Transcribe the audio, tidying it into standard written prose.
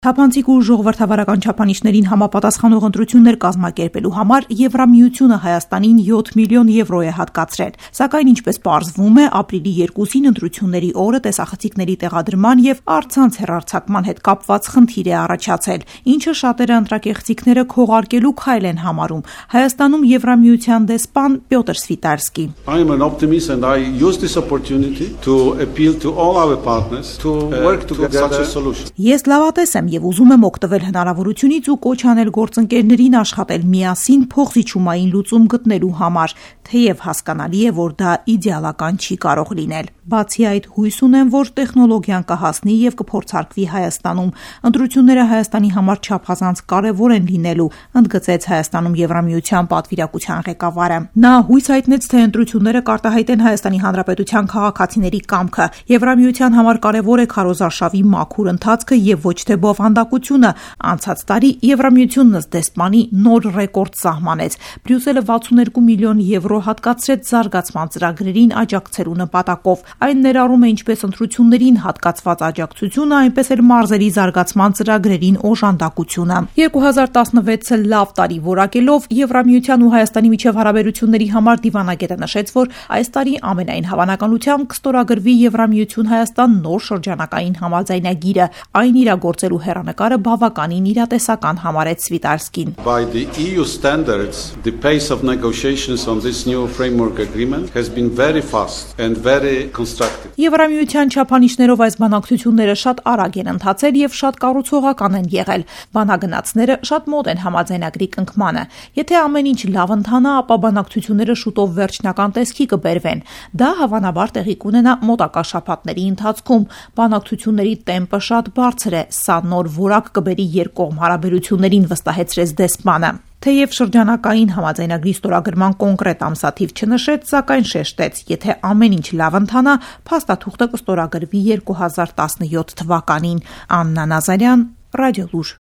Թափանցիկ ու ժողովրդավարական չափանիշներին համապատասխանող ընտրություններ կազմակերպելու համար Եվրամիությունը Հայաստանին 7 միլիոն եվրո է հատկացրել, սակայն ինչպես պարզվում է, ապրիլի 2-ին ընտրությունների օրը տեսախցիկների տեղադրման եւ առցանց հեռարձակման հետ կապված խնդիր է առաջացել, ինչը շատերը ընտրակեղծիքները քողարկելու քայլ են համարում։ Հայաստանում Եվրամիության դեսպան Պյոտր Սվիտարսկի. I am an optimist and I use this opportunity to appeal to all our partners to work together such a solution. Ես լավատես եմ եւ ուզում եմ օգտվել հնարավորությունից ու կոչ անել գործընկերներին աշխատել միասին փոխզիջումային լուծում գտնելու համար, թեև հասկանալի է, որ դա իդեալական չի կարող լինել։ Բացի այդ, հույս ունեմ, որ տեխնոլոգիան կհասնի եւ կփորձարկվի Հայաստանում։ Ընտրությունները Հայաստանի համար չափազանց կարեւոր են լինելու, ընդգծեց Հայաստանում Եվրամիության պատվիրակության ղեկավարը։ Նա հույս հայտնեց, թե ընտրությունները կարտահայտեն Հայաստանի Հանրապետության քաղաքացիների կամքը։ Եվրամիության համար կարեւոր է քարոզարշավի մաքուր ընթացքը եւ ոչ թե բովանդակությունը։ Անցած տարի Եվրամիությունն ըստ դեսպանի նոր ռեկորդ սահմանեց։ Բրյուսելը 62 միլիոն եվրո հատկացրեց զարգացման ծրագրերին աջակցելու նպատակով։ Այն ներառում է ինչպես ընտրություններին հատկացված աջակցությունը, այնպես էլ մարզերի զարգացման ծրագրերին օժանդակությունը։ 2016-ը լավ տարի որակելով Եվրամիության ու Հայաստանի միջև հարաբերությունների համար դիվանագետը նշեց, որ այս տարի ամենայն հավանականությամբ կստորագրվի Եվրամիություն-Հայաստան նոր շրջանակային համաձայնագիրը։ Այն իրագործելու հեռանկարը բավականին իրատեսական համարեց Սվիտարսկին. By the EU standards, the pace of negotiations on this new framework agreement has been very fast and very constructive. Եվրամիության չափանիշներով այս բանակցությունները շատ արագ են ընթացել եւ շատ կառուցողական են եղել։ Բանագնացները շատ մոտ են համաձայնագրի կնքմանը։ Եթե ամեն ինչ լավ ընթանա, ապա բանակցությունները շուտով վերջնական տեսքի կբերվեն։ Դա հավանաբար տեղի կունենա մոտակա շաբաթների ընթացքում։ Բանակցությունների տեմպը շատ բարձր է, սա նոր որակ կբերի երկկողմ հարաբերություններին, վստահեցրեց դեսպանը։ Թեև շրջանակային համաձայնագրի ստորագրման կոնկրետ ամսաթիվ չնշեց, սակայն շեշտեց, եթե ամեն ինչ լավ ընթանա, փաստաթուղթը կստորագրվի 2017 թվականին։ Աննա Նազարյան, Ռադիո Լուր։